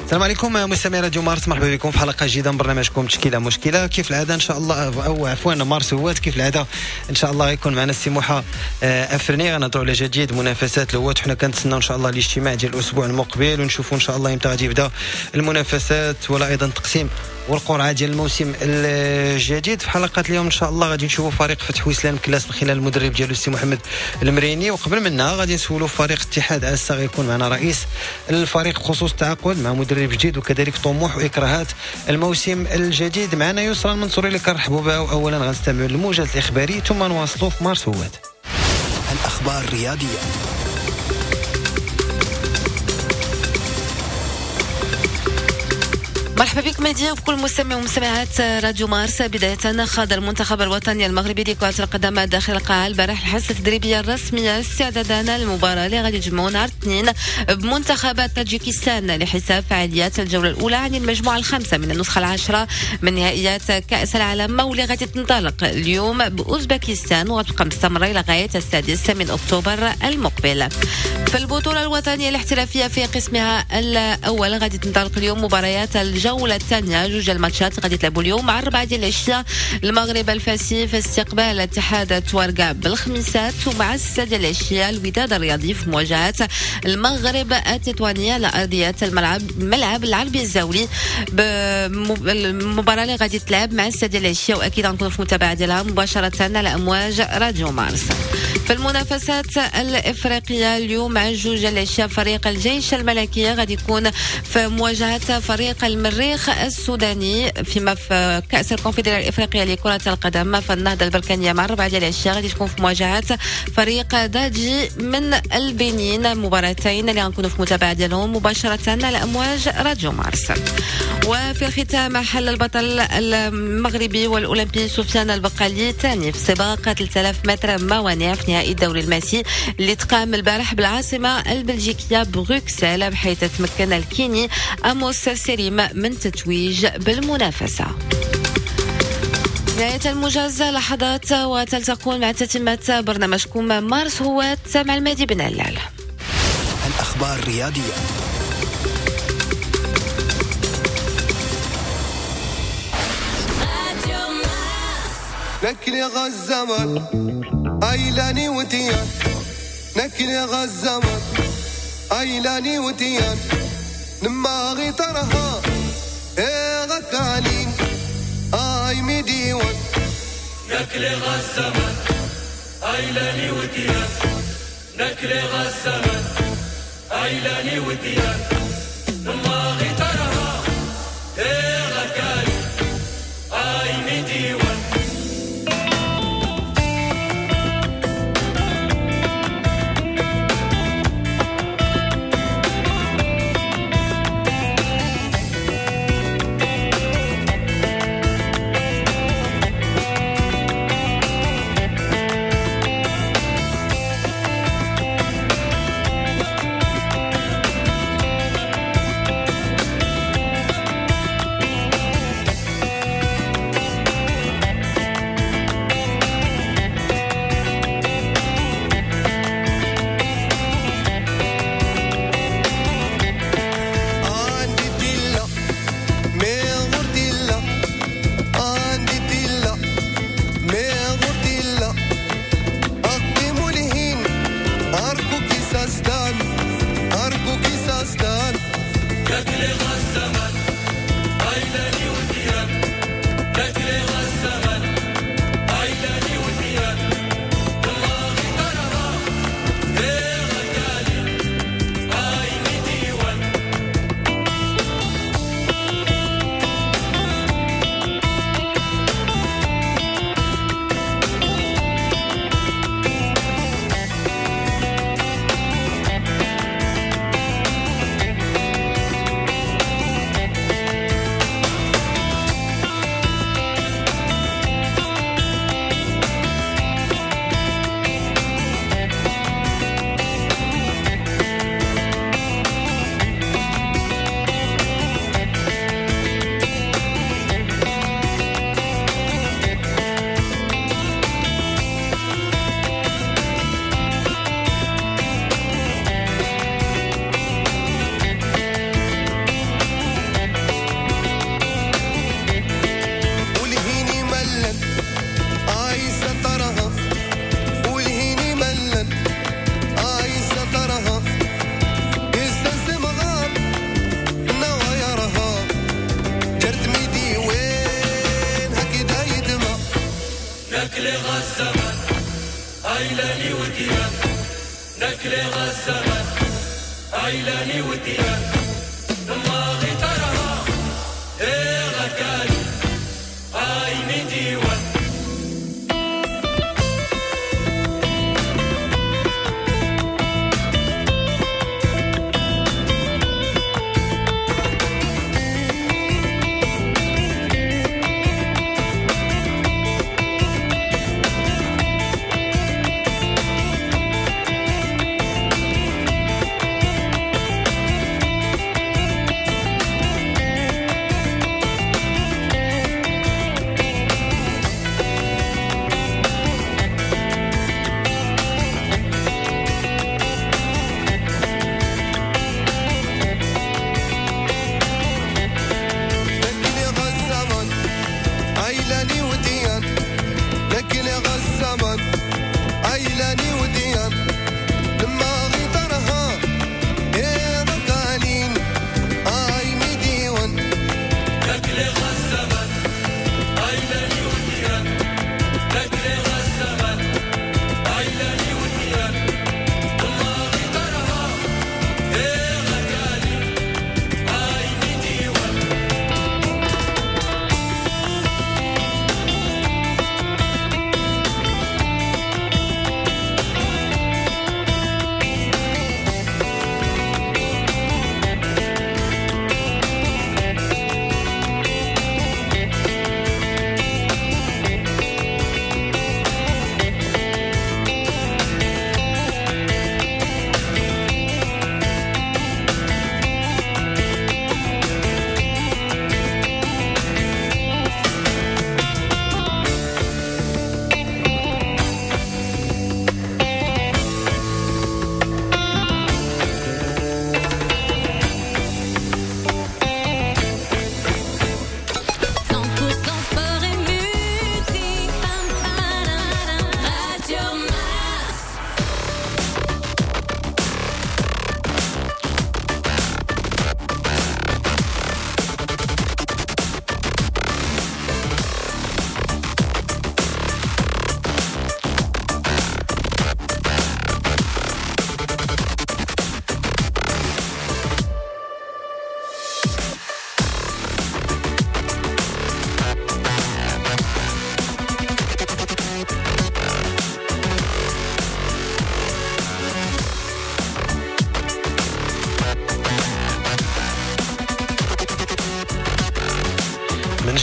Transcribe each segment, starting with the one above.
السلام عليكم مستمعي راديو مارس، مرحبا بكم في حلقة جديدة من برنامجكم تشكيله مشكلة. كيف العادة ان شاء الله، او عفوا مارس هوات، كيف العادة ان شاء الله غيكون معنا السي موحى افرني، غنهضروا على جديد منافسات الهوات. حنا كنتسناو ان شاء الله الاجتماع ديال الاسبوع المقبل ونشوفوا ان شاء الله امتى غادي يبدا المنافسات ولا ايضا تقسيم والقرعه ديال الموسم الجديد. في حلقة اليوم ان شاء الله غادي نشوفوا فريق فتح وسلام كلاس من خلال المدرب ديالو السي محمد المريني، وقبل منها غادي نسولوا فريق اتحاد اسا، غيكون معنا رئيس الفريق بخصوص التعاقد مع مدرب جديد وكذلك طموح واكراهات الموسم الجديد. معنا يسرى المنصوري اللي كنرحبوا بها، واولا غنستمعوا للموجز الاخباري ثم نواصلوا في مارس هوات. الاخبار الرياضية. مرحبا بك مهدي وبكل مستمع ومستمعات راديو مارس. بداية، خاض المنتخب الوطني المغربي لكرة القدم داخل القاعة البارح الحصة التدريبية الرسمية استعدادا للمباراة اللي غادي تجمعوا نهار الاثنين بمنتخب طاجيكستان لحساب فعاليات الجولة الأولى عن المجموعة الخامسة من النسخة العاشرة من نهائيات كأس العالم، واللي غادي تنطلق اليوم بأوزبكستان وغتبقى مستمرة إلى غاية 6 من أكتوبر المقبل. في البطولة الوطنية الاحترافية في قسمها الأول غادي تنطلق اليوم مباريات الجولة الثانية، جوج الماتشات غادي تلعبوا اليوم مع 4 ديال العشية، المغرب الفاسي في استقبال اتحاد تواركا بالخميسات، ومع 6 ديال العشية الوداد الرياضي في مواجهة المغرب التطواني على أرضية الملعب ملعب العربي الزاولي، المباراة اللي غادي تلعب مع 6 ديال العشية، وأكيد غنكونوا في متابعة ديالها مباشرة على أمواج راديو مارس. في المنافسات الإفريقية اليوم مع 2 العشية فريق الجيش الملكي غادي يكون في مواجهة فريق المريخ السوداني، فيما في كأس الكونفدرالية الإفريقية لكرة القدم فالنهضة البركانية مع 4 ديال العشية غادي تكون في مواجهة فريق داجي من البنين، مباراتين اللي غنكونوا في متابعة ديالهم مباشرة على أمواج راديو مارس. وفي الختام حل البطل المغربي والأولمبي سفيان البقالي ثاني في سباق 3000 متر موانع في نهائي الدوري الماسي اللي تقام البارح بالعاصمة البلجيكية بروكسل، بحيث تمكن الكيني أموس سيريم من تتويج بالمنافسة. نهاية الموجز لحظات وتلتقون مع تتمة برنامجكم مارس هوات مع المهدي بن علال. الأخبار الرياضية. نكل غزمر ايلاني وديان، نكل غزمر ايلاني وديان، نما غي ترها ايه غكالين اي مديوان. نكل غزمر ايلاني وديان، نكل غزمر ايلاني وديان، نما غي ترها ايه غكالين اي مديوان. نكلي غزمان عيلاني وديان نكلي غزمان عيلاني وديان ما غيترها إيه غكالي أي من ديوان.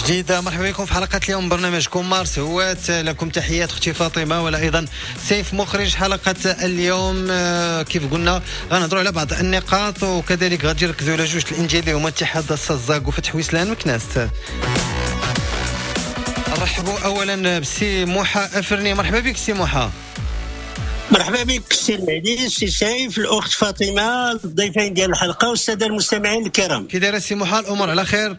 جديد مرحبا بكم في حلقة اليوم برنامجكم مارس هوات. لكم تحيات اختي فاطمة ولا أيضا سيف مخرج حلقة اليوم. كيف قلنا غنهضروا على بعض النقاط وكذلك غادي نركزوا على جوج الأندية اللي هما اتحاد السزاق وفتح ويسلان مكناس. نرحبوا أولا بسي موحى أفرني. مرحبا بك سي موحى. مرحبا بك سي المهدي، سي سيف، الأخت فاطمة، الضيفين ديال الحلقة والسادة المستمعين الكرام. كي داير سي موحى؟ الأمور على خير؟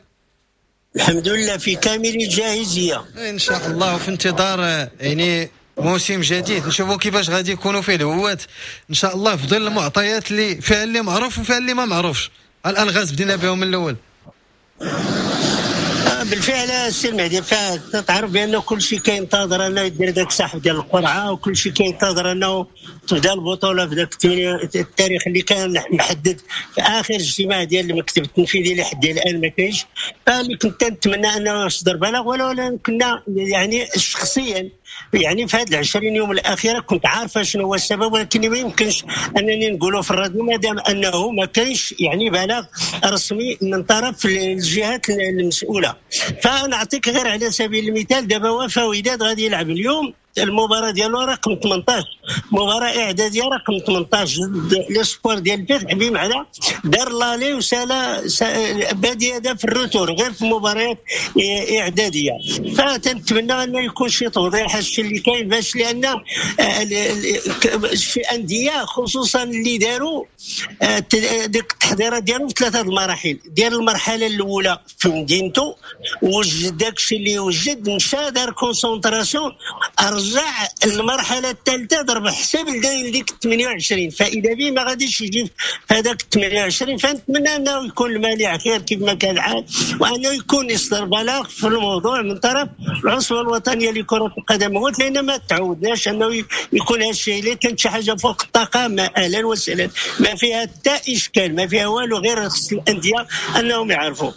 الحمد لله في كامل الجاهزية إن شاء الله، وفي انتظار يعني موسم جديد نشوفوا كيفاش غادي يكونوا فيه الهوات إن شاء الله في ظل المعطيات اللي فيها اللي معروف وفيها اللي ما معروفش. الألغاز بدينا بهم من الأول. بالفعل السي المهدي، تعرف بأنه كل شيء كينتظر أنه يدير ذاك السحب ديال القرعة، وكل شيء كينتظر أنه تبدا البطولة في ذاك التاريخ اللي كان محدد في آخر اجتماع ديال المكتب التنفيذي لحد الآن ما كاينش. فاللي كنت نتمنى أنه يصدر بلاغ، ولو كنا يعني شخصيا يعني في هذه 20 يوم الأخيرة كنت عارفة شنو هو السبب، ولكن ما يمكنش أنني نقوله في الراديو ما دام أنه ما كاينش يعني بلاغ رسمي من طرف الجهات المسؤولة. فنعطيك غير على سبيل المثال، دابا وفا وداد غادي يلعب اليوم المباراة ديالو رقم 18، مباراة إعدادية رقم 18 ضد l'Espoir ديال الفتح، بمعنى دار l'aller وسالا بادي هذا في ال retour غير في مباريات إعدادية. فتنتمنى أنه يكون شي توضيح هادشي اللي كاين، باش لأن شي أندية خصوصا اللي داروا ديك التحضيرات ديالهم في ثلاثة المراحل. ديال المرحلة الأولى في مدينته وجد داكشي اللي وجد، مشى دار concentration، رجع المرحلة الثالثة ضرب حساب ديك 28، فاذا به ما غاديش يجي في هذاك 28. فنتمنى انه يكون المانع خير كيف ما كان الحال، وانه يكون يصدر بلاغ في الموضوع من طرف العصبة الوطنية لكرة القدم، لان ما تعودناش انه يكون هذا الشيء. الا كانت شي حاجة فوق الطاقة ما اهلا وسهلا، ما فيها حتى اشكال، ما فيها والو، غير خص الاندية انهم يعرفوا.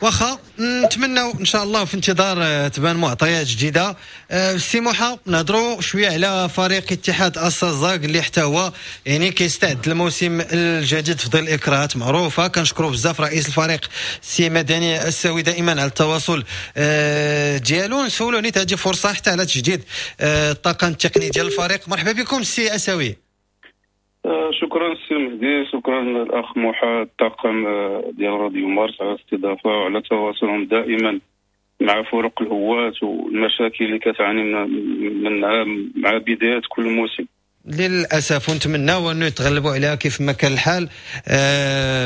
واخا نتمنوا ان شاء الله في انتظار تبان معطيات جديدة. سي موحى، نهضروا شوية على فريق اتحاد آسا الزاك اللي حتى هو يعني كيستعد الموسم الجديد في ظل اكراهات معروفة. كنشكروا بزاف رئيس الفريق سي مدني الساوي دائما على التواصل ديالو. نسولو نيت هذه فرصة حتى على تجديد الطاقم التقني ديال الفريق. مرحبا بكم سي اساوي. شكرا سي مهدي، شكرا الاخ موحى، الطاقم ديال راديو مارس على الاستضافة وعلى تواصلهم دائما مع فرق الهواة والمشاكل اللي كتعاني منها مع بداية كل موسم. للاسف، ونتمناو انه يتغلبوا عليها كيف ما كان الحال.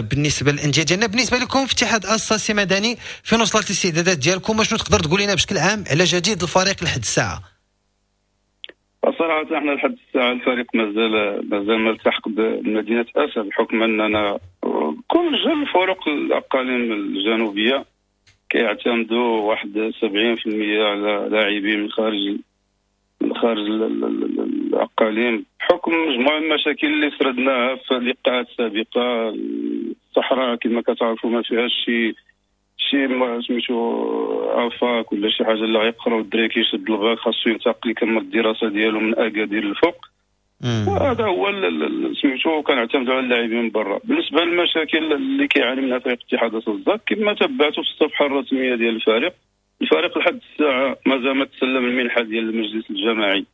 بالنسبة للاندية ديالنا، بالنسبة لكم في اتحاد آسا سي مدني، فين وصلت الاستعدادات ديالكم؟ وشنو تقدر تقول لنا بشكل عام على جديد الفريق لحد الساعة؟ صراحة احنا لحد الساعة الفريق مازال ما التحق بمدينة اسا، بحكم اننا كل جل الفرق الاقاليم الجنوبية كيعتمدوا واحد 70% على لاعبين من خارج الاقاليم، بحكم مجموعة من المشاكل اللي سردناها في اللقاءات السابقة. الصحراء كما كتعرفوا ما فيهاش شي سميتو افاك ولا شي حاجة اللي غيقراو الدراري، كيشد الباك خاصو ينتقل يكمل الدراسة ديالو من اكادير للفوق. هذا هو سميتو، كنعتمدوا على اللاعبين من برا. بالنسبة للمشاكل اللي كيعاني منها فريق اتحاد آسا الزاك، كما تبعتوا في الصفحة الرسمية ديال الفريق لحد الساعة مازال ما تسلم المنحة ديال المجلس الجماعي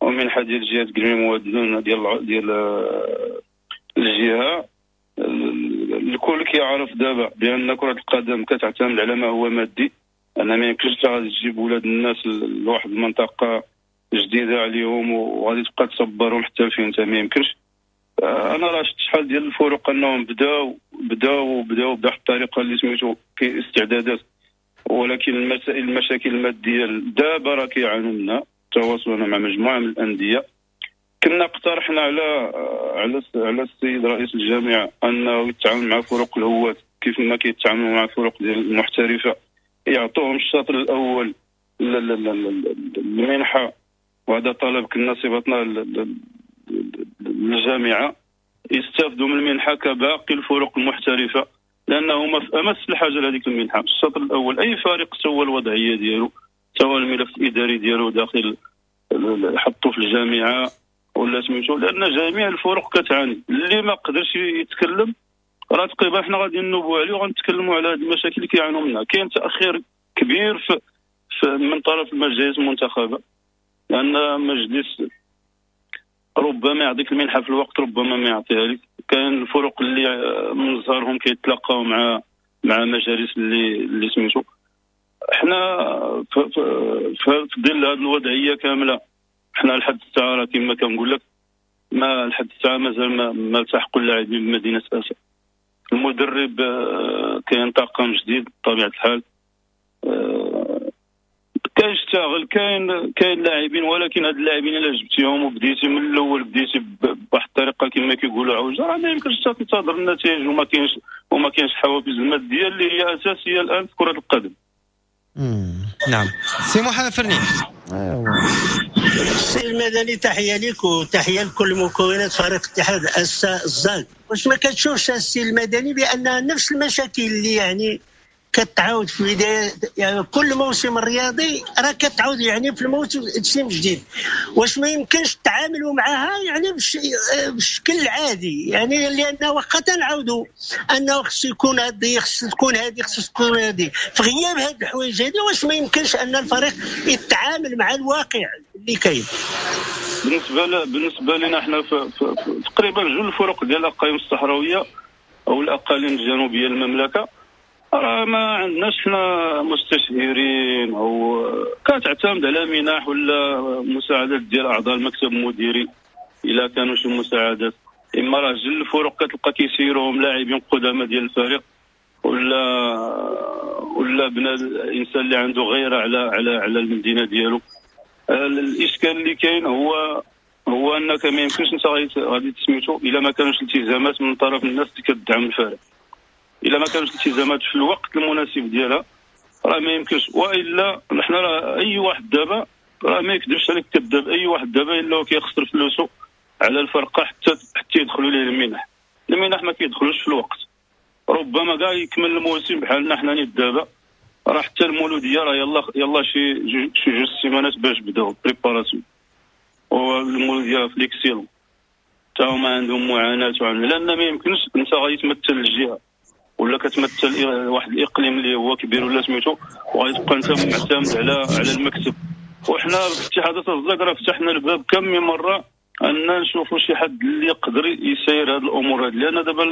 ومنحه ديال جهة كلميم واد ديال الجهة. الكل كيعرف دابا بان كره القدم كتعتمد على ما هو مادي، ان ما يمكنش غادي تجيب ولاد الناس لواحد المنطقة جديدة عليهم وغادي تبقى تصبرهم حتى فين انت، ما يمكنش. انا راه شفت شحال ديال الفرق انهم بداو بواحد الطريقة اللي سميتو استعدادات، ولكن المشاكل المادية دابا راه كيعانوا منها. تواصلنا مع مجموعة من الاندية، كنا اقترحنا على على على السيد رئيس الجامعة انه يتعاون مع فرق الهواة كيف ما كيتعاملوا مع فرق ديال المحترفه، يعطوهم الشطر الاول المنحة، وهذا طلب كنا صيفطنا للجامعة، يستافدوا من المنحة كباقي الفرق المحترفه، لانه في امس الحاجة لهذيك المنحة. الشطر الاول اي فريق سوى الوضعية ديالو، سوى الملف الاداري ديالو داخل حطوا في الجامعة ولا سميتو، لان جميع الفرق كتعاني. اللي ما قدرش يتكلم راه تقريبا حنا غادي نوبوا عليه وغنتكلموا على هذه المشاكل اللي كيعانوا منها. كاين تاخير كبير في من طرف المجالس المنتخبه، لان مجلس ربما يعطيك المنحة في الوقت، ربما ما يعطيها لك. كاين الفرق اللي من زهرهم كيتلاقاو مع مجالس اللي سميتو. حنا في ظل هذه الوضعية كاملة، حنا لحد الساعة راه كما كنقول لك، ما لحد الساعة مازال ما التحقوا اللاعبين بمدينة اسا. المدرب كاين طاقم جديد بطبيعة الحال، كيشتغل، كاين لاعبين، ولكن هاد اللاعبين الا جبتيهم وبديتي من الاول، بديتي بواحد الطريقة كما كيقولوا عوجه، راه ما يمكنش تنتظر النتائج، وما كاينش حوافز المادية اللي هي اساسية الان في كره القدم. نعم سي محمد فرني. السي المدني، تحية لك وتحية لكل مكونات فريق اتحاد آسا الزاك. واش ما كتشوفش السي المدني بان نفس المشاكل اللي يعني كتعاود في بداية يعني كل موسم رياضي راه كتعاود يعني في الموسم الجديد، واش ما يمكنش تعاملوا معها يعني بشكل عادي؟ يعني لان واخا تنعاودوا انه خص يكون هذه، خص تكون هذه، خص تكون هذه، في غياب هذه الحوايج هذه واش ما يمكنش ان الفريق يتعامل مع الواقع اللي كاين؟ بالنسبة لنا احنا تقريبا جوج الفرق ديال الاقاليم الصحراوية او الاقاليم الجنوبية للمملكة، راه ما عندناش حنا مستشهرين او كتعتمد على منح ولا مساعدات ديال اعضاء المكتب المديري الا كانوا شي مساعدات. اما راه جل الفرق كتلقى كيسيروهم لاعبين قدامى ديال الفريق ولا بنادم انسان اللي عنده غيره على على على المدينة ديالو. الاشكال اللي كاين هو انك ما يمكنش انت غادي تسميتو الا ما كانوش التزامات من طرف الناس اللي كتدعم الفريق. الا ما كانوش التزامات في الوقت المناسب ديالها راه ما يمكنش. والا حنا راه اي واحد دابا راه ما يكذبش عليك كذاب، اي واحد دابا الا هو كيخسر فلوسه على الفرقة حتى يدخلوا ليه المنح. المنح ما كيدخلوش في الوقت، ربما كاع يكمل الموسم بحالنا حنا نيت دابا راه حتى المولوديه راه يلا شي جوج سيمانات باش بداو préparation، والمولوديه في l'excellent حتى هما عندهم معاناة، لان ما يمكنش انت غادي تمثل الجهة ولا كتمثل واحد الاقليم اللي هو كبير ولا سميتو، وغادي تبقى انت معتمد على المكتب. وحنا في اتحاد الزاك راه فتحنا الباب كم من مرة ان نشوفوا شي حد اللي يقدر يسير هذه الامور هذه، لان دابا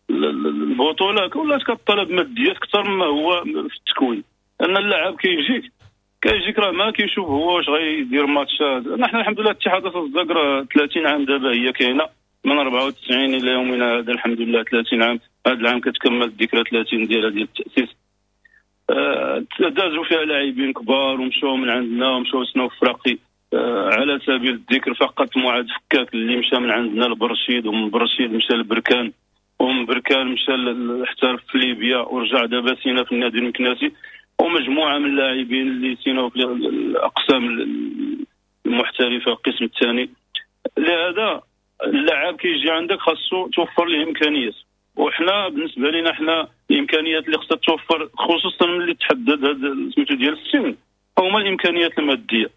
البطولة ولات كطلب ماديات اكثر مما هو في التكوين. ان اللاعب كيجيك راه ما كيشوف هو واش غيدير ماتشات. نحن الحمد لله اتحاد الزاك راه 30 عام دابا هي كاينه، من 94 الى يومنا هذا الحمد لله 30 عام. هذا العام كتكمل الذكرى 30 ديال التاسيس. دازوا فيها لاعبين كبار ومشاو من عندنا ومشاو سناو فراقي. على سبيل الذكر فقط معاذ فكاك اللي مشى من عندنا لبرشيد، ومن برشيد مشى لبركان، ومن بركان مشى احترف في ليبيا ورجع دابا سينا في النادي المكناسي، ومجموعة من اللاعبين اللي سيناو في الاقسام المحترفه القسم الثاني. لهذا اللاعب كيجي عندك خاصو توفر ليه امكانيات، وحنا بالنسبة لنا حنا الامكانيات اللي خصها توفر خصوصا ملي تحدد هذا سميتو ديال السن هما الامكانيات المادية.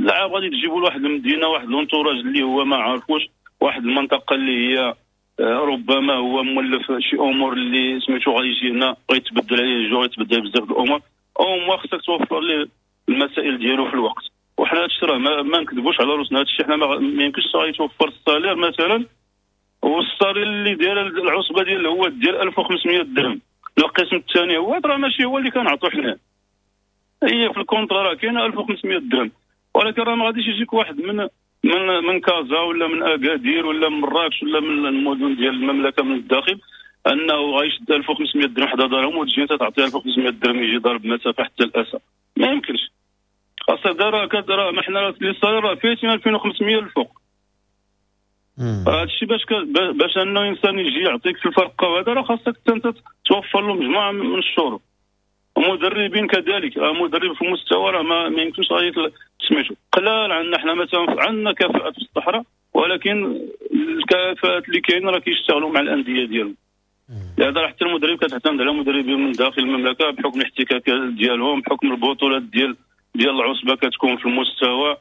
اللاعب غادي تجيبوا لواحد المدينة واحد l'entourage اللي هو ما عارفوش، واحد المنطقة اللي هي ربما هو مولف شي امور اللي سميتو غادي يجي هنا غيتبدل عليه الجو، غيتبدل بزاف الامور، او خصك توفر ليه المسائل ديالو في الوقت. وحنا هادشي راه ما نكذبوش على روسنا، هادشي حنا ما يمكنش غادي توفر ال salaire مثلا، وال salaire اللي داير العصبة ديال هو ديال 1500 درهم القسم الثاني هو راه ماشي هو اللي كنعطو حنا، هي في ال contrat راه كاينه 1500 درهم، ولكن راه ما غاديش يجيك واحد من من من كازا ولا من اكادير ولا من مراكش ولا من المدن ديال المملكة من الداخل انه غيشد 1500 درهم حدا دارهم وتجي انت تعطيه 1500 درهم يجي ضارب مسافة حتى الاسى. ما يمكنش. خاصة دارا كدرا ما حنا les salaires راه فايتين 2500 الفوق. هذا الشيء باش انه انسان يجي يعطيك في الفرقة وهذا راه خاصك انت توفر له مجموعة من الشروط. ومدربين كذلك، مدرب في المستوى راه ما يمكنش غادي سميتو قلال عندنا حنا مثلا عندنا كفاءات في الصحراء، ولكن الكفاءات اللي كاينه راه كيشتغلوا مع الاندية ديالهم. لهذا راه حتى المدرب كتعتمد على مدربين من داخل المملكة بحكم الاحتكاك ديالهم، بحكم البطولات ديال العصبة كتكون في المستوى،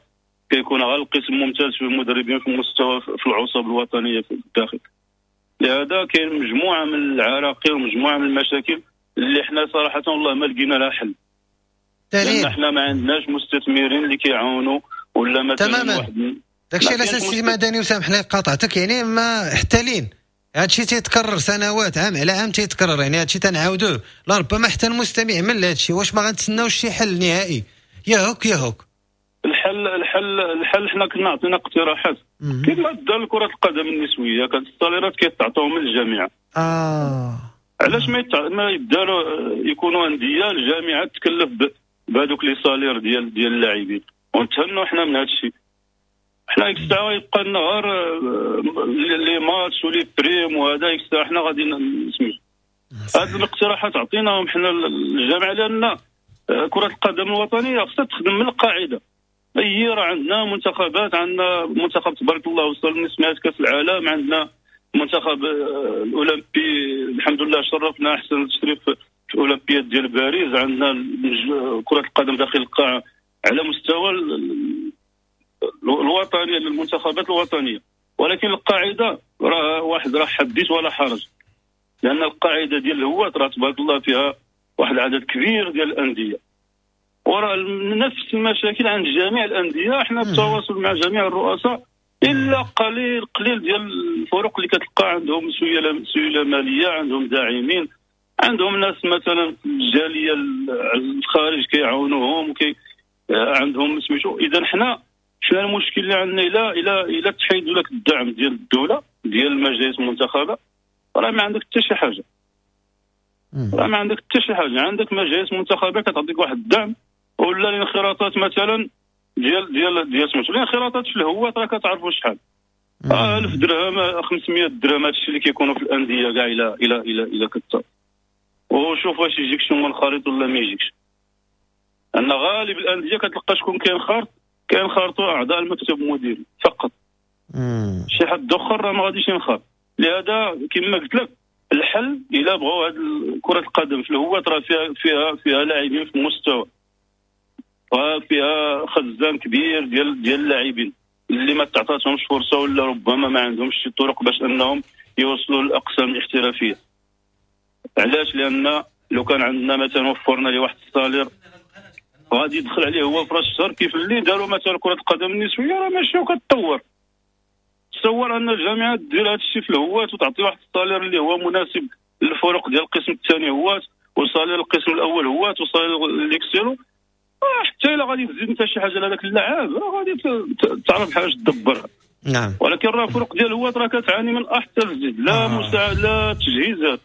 كيكون غير القسم ممتاز في المدربين في المستوى في العصب الوطنية في الداخل. لهذا كاين مجموعة من العراقيل ومجموعة من المشاكل اللي حنا صراحة والله ما لقينا لها حل. لان حنا ما عندناش مستثمرين اللي كيعاونوا ولا مثلا تماما. داكشي علاش السي مدني وسامحني قاطعتك، يعني ما حتى لين هادشي تيتكرر سنوات، عام على عام تيتكرر، يعني هادشي تنعاودوه، لربما حتى المستمع من هادشي. واش ما غنتسناوش شي حل نهائي؟ يا هوك يا هوك. الحل حنا كنا عطينا اقتراحات كما دار كرة القدم النسوية، كانت الصاليرات كيتعطاو من الجامعة. علاش ما يداروا يكونوا اندية الجامعة تكلف بهذوك les salaires ديال اللاعبين ونتهنوا حنا من هذا الشيء. حنا ديك الساعة يبقى لنا غير les matchs و les primes وهذا، ديك الساعة حنا غادي نسميو هاد الاقتراحات عطيناهم حنا الجامعة، لان كره القدم الوطنية خصها تخدم من القاعدة. اي راه عندنا منتخبات، عندنا منتخب تبارك الله وصل لنصف كاس العالم، عندنا منتخب الاولمبي الحمد لله شرفنا احسن تشريف في الاولمبياد ديال باريس، عندنا كره القدم داخل القاعة على مستوى الوطني للمنتخبات الوطنية، ولكن القاعدة راه واحد راه حديث ولا حرج، لان القاعدة ديال الهواة راه تبارك الله فيها واحد العدد كبير ديال الاندية، وراه نفس المشاكل عند جميع الاندية. احنا بالتواصل مع جميع الرؤساء الا قليل قليل ديال الفرق اللي كتلقى عندهم سيولة ماليه، عندهم داعمين، عندهم ناس مثلا في الجالية الخارج كيعاونوهم وكي عندهم سميتو. اذا حنا شنو المشكل اللي عندنا؟ الى تحيدوا لك الدعم ديال الدولة ديال المجالس المنتخبه راه ما عندك حتى شي حاجة، راه ما عندك حتى شي حاجة. عندك مجالس منتخبه كتعطيك واحد الدعم ولا الانخراطات مثلا ديال ديال ديال سميتو الانخراطات في الهوات راه كتعرفوا شحال، 1000 درهم 500 درهم، هادشي اللي كيكونوا في الاندية كاع الى الى الى الى كت وشوف واش يجيك شي منخرط ولا ما يجيكش. ان غالب الاندية كتلقى شكون كينخرط، كينخرطوا اعضاء المكتب المديري فقط، شي حد اخر راه ما غاديش ينخرط. لهذا كما قلت لك الحل الا بغاو هاد كره القدم في الهوات راه فيها لاعبين في المستوى، وفيها خزان كبير ديال اللاعبين اللي ما تعطاتهمش فرصة ولا ربما ما عندهمش شي طرق باش انهم يوصلوا للاقسام الاحترافية. علاش؟ لان لو كان عندنا مثلا وفرنا ليه واحد ال salaire غادي يدخل عليه هو في راس الشهر كيف اللي داروا مثلا كره القدم النسوية، راه ماشي وكتطور. تصور ان الجامعة دير هذا الشيء في الهوات وتعطي واحد ال salaire اللي هو مناسب للفرق ديال القسم الثاني هوات، و salaire القسم الاول هوات، و salaire l'excellent، حتى الا غادي تزيد انت شي حاجة لهذاك اللاعب راه غادي تعرف حاجة تدبرها. نعم. ولكن راه الفرق ديال الهوات راه كتعاني من احسن الزيد، لا مساعد لا تجهيزات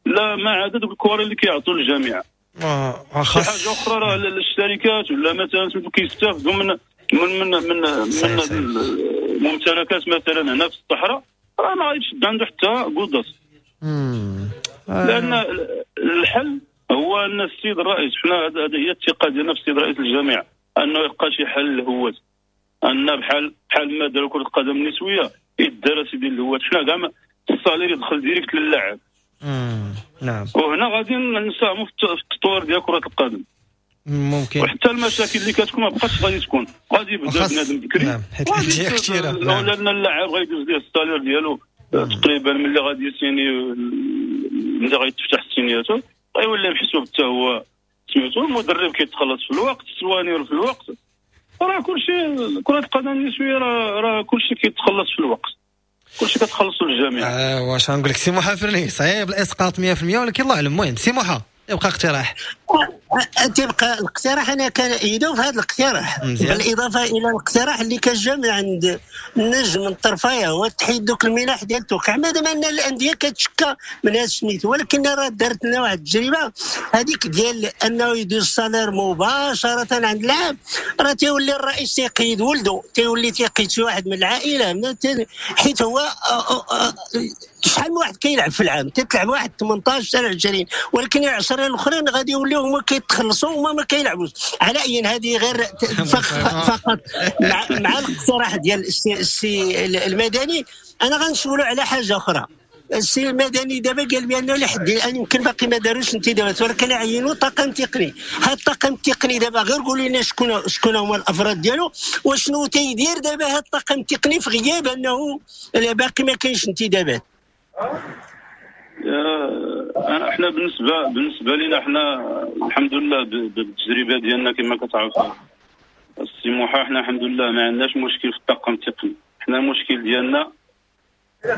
لا ما عدا دوك الكواري اللي كيعطوا للجامعة. خاص حاجة اخرى راه الشركات ولا مثلا كيستافدوا من من من من من الممتلكات مثلا هنا في الصحراء راه ما غاديش تشد عنده حتى قدس. لان الحل هو ان السيد الرئيس، حنا هذه هي الثقة ديالنا في السيد رئيس الجامعة، انه يلقى شي حل للهوات، ان بحال ما داروا كره القدم النسوية يدار سيدي الهوات، حنا كاع ال salaire يدخل direct للاعب. نعم. وهنا غادي نساهموا في التطوير ديال كره القدم ممكن، وحتى المشاكل اللي كتكون ما بقاتش غادي تكون، غادي يبدا بنادم بكري. نعم، حيت الاندية كثيرة. نعم. لان اللاعب غيدوز ليه ال salaire ديالو تقريبا ملي غادي يسيني، ملي غيتفتح ال signature غيولي محسوب حتى هو سميتو، المدرب كيتخلص في الوقت، ال soigneur في الوقت، راه كلشي كره القدم النسوية راه كلشي كيتخلص في الوقت، كلشي كتخلصوا للجميع. واش غنقول لك سي موحى فرني، صعيب الاسقاط 100%، ولكن الله اعلم. المهم سي موحى يبقى اقتراح، تبقى الاقتراح انا كان في هذا الاقتراح بالاضافة الى الاقتراح اللي كان جا من عند النجم من الطرفايه، هو تحيد دوك المنح ديال التوقيع، مادام ان الاندية كتشكى من هذا السميت، ولكن راه دارت لنا واحد التجربة هذيك ديال انه يدوز ال salaire مباشرة عند اللاعب، راه تيولي الرئيس تيقيد ولده، تيولي تيقيد شي واحد من العائلة، حيت هو شحال من واحد كيلعب في العام، تتلعب واحد 18 حتى 20، ولكن 10 الاخرين غادي يوليو هما كيتخلصوا وما ما كيلعبوش. على اي هذه غير فقط مع الاقتراح ديال السي المدني. انا غنسولو على حاجة اخرى. السي المدني دابا قال بانه لحد الان يمكن باقي ما داروش انتدابات، ولكن عينوا طاقم تقني. هذا الطاقم التقني دابا غير قولوا لنا شكون هما الافراد ديالو وشنو تيدير دابا هذا الطاقم التقني في غياب انه باقي ما كاينش انتدابات. احنا بالنسبة لنا احنا الحمد لله بالتجربة ديالنا كما كتعرف السي موحى، احنا الحمد لله ما عندناش مشكل في الطاقم التقني. احنا المشكل ديالنا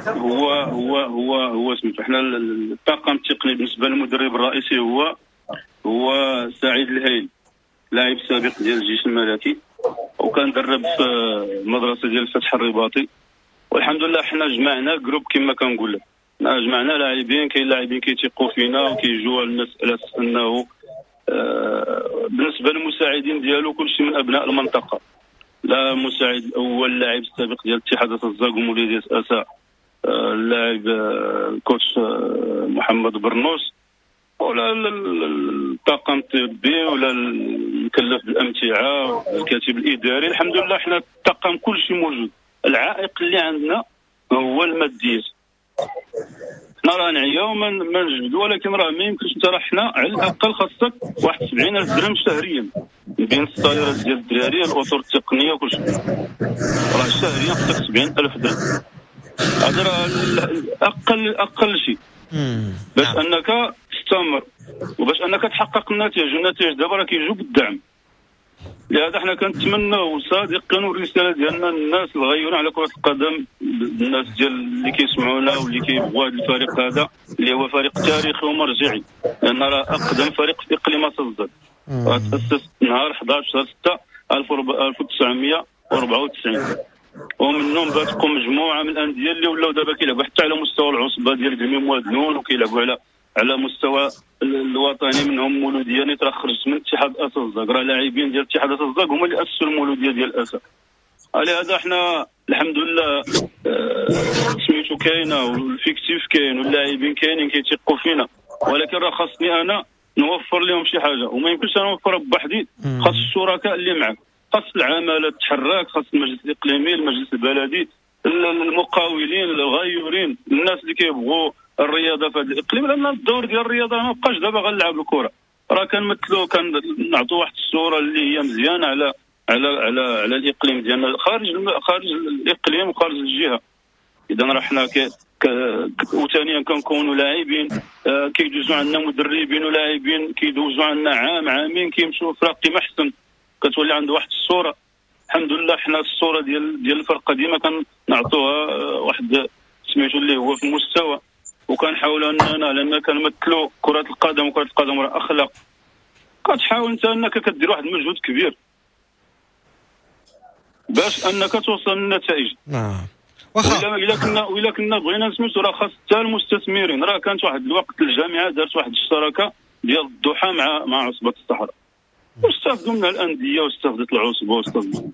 هو هو هو هو سميتو، احنا الطاقم التقني بالنسبة للمدرب الرئيسي هو سعيد الهيل، لاعب سابق ديال الجيش الملكي وكان درب في المدرسة ديال الفتح الرباطي. والحمد لله حنا جمعنا groupe كما كنقول لك، جمعنا لاعبين، كاين لاعبين كيتيقوا فينا وكيجوا المسالة انه بالنسبة للمساعدين ديالو كلشي من ابناء المنطقة، لا مساعد الاول لاعب السابق ديال اتحاد الزاك ومولودية اسا، اللاعب ال coach محمد برنوس، ولا الطاقم الطبي ولا المكلف بالامتعه الكاتب الاداري. الحمد لله حنا الطاقم كلشي موجود. العائق اللي عندنا هو الماديات. حنا راه نعياو ما نجبدو، ولكن راه ما يمكنش انت راه حنا على الاقل خاصك واحد 70000 درهم شهريا بين الصاليرات ديال الدراري الاطر التقنية وكلشي، راه شهريا خاصك 70000 درهم. هذا راه اقل شيء باش انك تستمر وباش انك تحقق النتائج. والنتائج دابا راه كيجيو بالدعم. لهذا حنا كنتمناو صادقين، والرسالة ديالنا الناس الغيورين على كره القدم، الناس ديال اللي كيسمعونا واللي كيبغوا هذا الفريق هذا اللي هو فريق تاريخي ومرجعي، لان راه اقدم فريق في اقليم الزاك، تاسس نهار 11 شهر 6 1994، ومنهم باتقوا مجموعة من الاندية اللي ولاو دابا كيلعبوا حتى على مستوى العصبة ديال كلميم وادنون، وكيلعبوا على على مستوى الوطني، منهم مولوديه نيت راه خرجت من اتحاد اسا الزاك، راه لاعبين ديال اتحاد اسا الزاك هما اللي اسسوا المولوديه ديال اسا. لهذا حنا الحمد لله سميتو كاينه وال effectif كاين واللاعبين كاينين كيتيقوا فينا، ولكن راه خاصني انا نوفر لهم شي حاجة وما يمكنش انا نوفرها بوحدي. خاص الشركاء اللي معك، خاص العمالة تحرك، خاص المجلس الاقليمي، المجلس البلدي، المقاولين، الغيورين، الناس اللي كيبغوا الرياضة في هذا الاقليم. لان الدور ديال الرياضة ما بقاش دابا غنلعب الكره، راه كنمثلوا كنعطوا واحد الصورة اللي هي مزيانه على على على على الاقليم ديالنا خارج الاقليم وخارج الجهة. اذا راه حنا وثانيا كنكونوا لاعبين، كيدوزوا عندنا مدربين ولاعبين كيدوزوا عندنا عام عامين كيمشيو فراقي ما احسن، كتولي عنده واحد الصورة. الحمد لله حنا الصورة ديال الفرقة ديما كنعطوها واحد سميتو اللي هو في المستوى، وكنحاولوا اننا لان كنمثلوا كره القدم، وكره القدم راه اخلاق. كتحاول انت انك كدير واحد المجهود كبير باش انك توصل للنتائج. نعم واخا. الا كنا بغينا نسميتو راه خاص حتى المستثمرين. راه كانت واحد الوقت الجامعة دارت واحد الشراكة ديال الضحى مع عصبه الصحراء، واستافدوا منها الاندية واستافدت العصبة واستافدوا.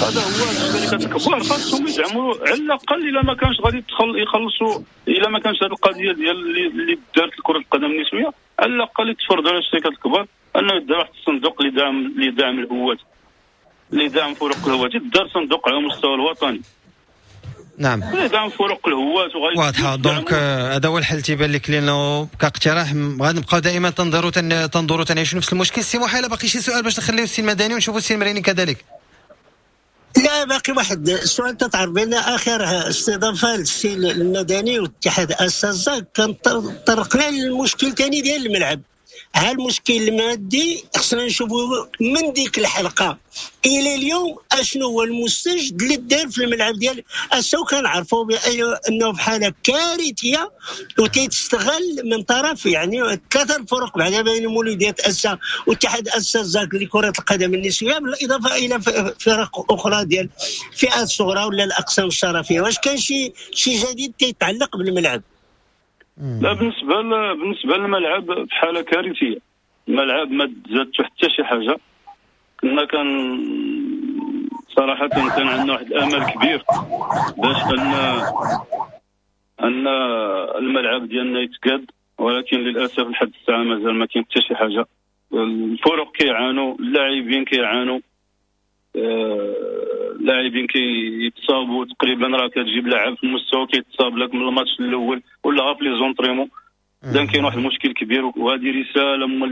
هذا هو الشركات الكبار خاصهم يدعموا على الاقل. الا ما كانش غادي يخلصوا، الا ما كانش هذه القضية ديال اللي دارت كره القدم النسوية، على الاقل يتفرضوا على الشركات الكبار انه يدار واحد الصندوق لدعم الهواة، لدعم فرق الهواة. يدار صندوق على المستوى الوطني. نعم لدعم فرق الهواة. واضحة. donc هذا هو الحل تيبان لك، لانه كاقتراح غادي نبقاو دائما تنظروا تنعيشوا نفس المشكل. سي محا، باقي شي سؤال باش نخليو السي المدني ونشوفوا السي المريني كذلك؟ لا باقي واحد السؤال. تتعرف بان اخر استضافة للسي المدني والاتحاد اسا كان طرقنا للمشكل ثاني ديال الملعب. ها المشكل المادي خصنا نشوفوا من ديك الحلقة الى اليوم اشنو هو المستجد اللي دار في الملعب ديال اسا، وكنعرفوا بانه في حاله كارثية وتيتستغل من طرف يعني ثلاثة الفرق بعدا بين مولوديه اسا واتحاد اسا زاك لكرة القدم النسوية، بالاضافة الى فرق اخرى ديال فئات صغرى ولا الاقسام الشرفيه. واش كان شي جديد تيتعلق بالملعب؟ لا، بالنسبة للملعب في حاله كارثية. الملعب ما تزادت حتى شي حاجة. كنا كان صراحة كان عندنا واحد الامل كبير باش ان الملعب ديالنا يتقاد، ولكن للاسف لحد الساعة مازال ما كاين حتى شي حاجة. الفرق كيعانوا، اللاعبين كيعانوا، اللاعبين كيتصابوا تقريبا. راه كتجيب لاعب في المستوى كيتصاب لك من الماتش الاول ولا غير في les entraînements. اذا كاين واحد المشكل كبير، وهذه رسالة من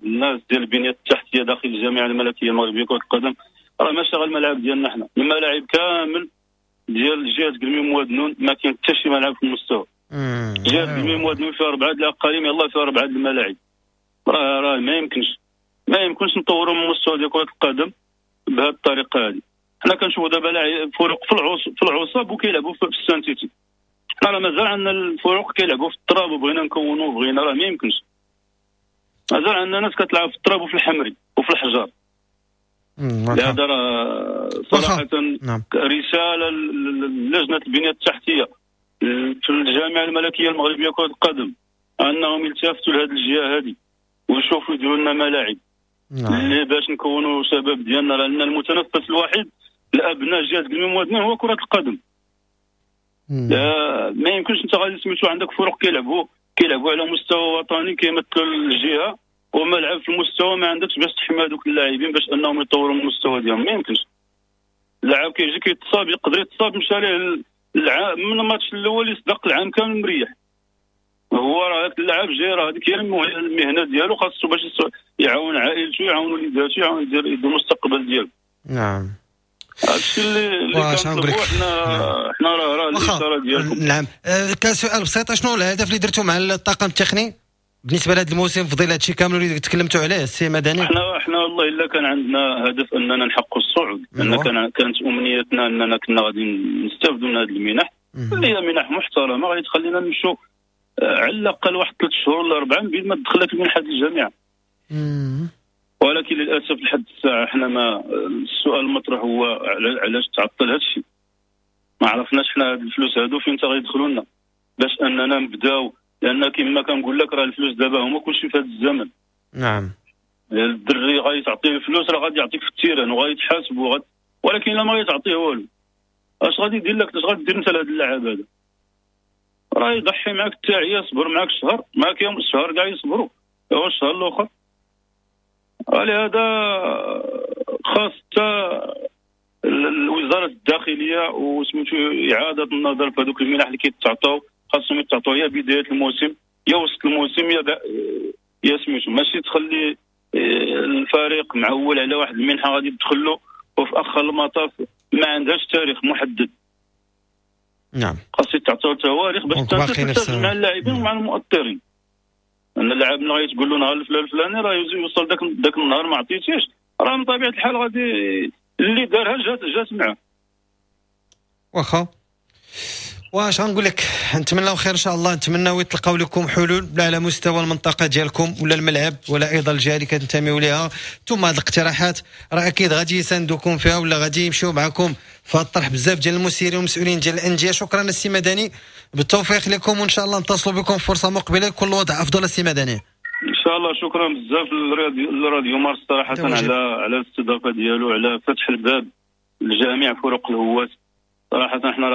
الناس ديال البنية التحتية داخل الجامعة الملكية المغربية كره القدم. راه ماشي غير الملعب ديالنا حنا، الملاعب كامل ديال جهة كلميم وادنون ما كاين حتى شي ملعب في المستوى. جهة كلميم وادنون فيها 4 الاقاليم، يلاه فيها 4 الملاعب. راه ما يمكنش نطوروا من المستوى ديال كره القدم بهذه الطريقة هذه. حنا كنشوفوا دابا فرق في العصب وكيلعبوا في ال synthétique. حنا راه مازال عندنا الفرق كيلعبوا في التراب، وبغينا نكونوا بغينا، راه ما يمكنش. مازال عندنا ناس كتلعب في التراب وفي الحمري وفي الحجر. لهذا راه صراحة رسالة للجنة البنية التحتية في الجامعة الملكية المغربية كره القدم انهم يلتفتوا لهذه الجهة هذه ويشوفوا يديروا لنا ملاعب اللي باش نكونوا شباب ديالنا، لان المتنفس الوحيد لابناء جهة كلميم وادنون هو كره القدم. ما يمكنش انت غادي سميتو عندك فرق كيلعبوا على مستوى وطني كيمثلوا الجهة وملعب في المستوى ما عندكش باش تحمي هذوك اللاعبين باش انهم يطوروا من المستوى ديالهم. ما يمكنش. اللاعب كيجي كيتصاب، يقدر يتصاب مشى ليه العام من الماتش الاول يصدق العام كامل مريح. هو راه هذاك اللاعب جاي راه هذيك هي المهنة ديالو، خاصو باش يعاون عائلته، يعاون وليداتو، يعاون يدير المستقبل ديالو. نعم هادشي اللي كنطلبوا حنا راه الاشارة ديالكم. نعم كسؤال بسيط، شنو الهدف اللي درتو مع الطاقم التقني بالنسبة لهذا الموسم في ظل هادشي كامل اللي تكلمتوا عليه السي مدني؟ حنا والله الا كان عندنا هدف اننا نحققوا الصعود، لان كانت امنيتنا اننا كنا غادي نستافدوا من هذه المنح اللي هي منح محترمه غادي تخلينا نمشوا على الاقل واحد 3 شهور ولا 4 من بين ما تدخلك المنحة ديال الجامعة. ولكن للاسف لحد الساعة حنا ما السؤال المطروح هو علاش تعطل هذا الشيء؟ ما عرفناش حنا هاد الفلوس هادو فين تا غيدخلوا لنا باش اننا نبداو لان كما كنقول لك راه الفلوس دابا هما كلشي في هذا الزمن. نعم. الدري غادي تعطيه الفلوس راه غادي يعطيك في ال terrain وغادي يتحاسب ولكن الا ما غادي تعطيه والو اش غادي يدير لك؟ اش غادي دير انت لهذا اللاعب هذا؟ راه يضحي معاك التاعي، يصبر معاك شهر، معاك يوم الشهر كاع يصبروا، هو الشهر الاخر. لهذا خاص حتى الوزارة الداخلية وسميتو اعاده النظر في هذوك المنح اللي كيتعطاو، خاصهم يتعطاو يا بداية الموسم يا وسط الموسم يا سميتو، ماشي تخلي الفريق معول على واحد المنحة غادي تدخل له وفي اخر المطاف ما عندهاش تاريخ محدد. نعم. خاص يتعطاو تواريخ باش تلتزم مع اللاعبين ومع المؤطرين. ان اللاعب ملي غادي تقول له نهار الفلان الفلاني راه يوصل داك النهار ما عطيتيش، راه من طبيعة الحال غادي اللي دارها جات معاه. واخا واش غنقول لك، نتمناو خير ان شاء الله، نتمناو يتلقاو لكم حلول لا على مستوى المنطقة ديالكم ولا الملعب ولا ايضا الجهة اللي كتنتميو ليها. ثم هذه الاقتراحات راه اكيد غادي يساندوكم فيها ولا غادي يمشيو معكم في هذا الطرح بزاف ديال المسيرين والمسؤولين ديال الاندية. شكرا السي مدني، بالتوفيق لكم وان شاء الله نتصلوا بكم فرصة مقبله كل وضع افضل. السي مدني ان شاء الله. شكرا بزاف للراديو مارس صراحة على الاستضافة ديالو، على فتح الباب لجميع فرق الهواة. صراحة احنا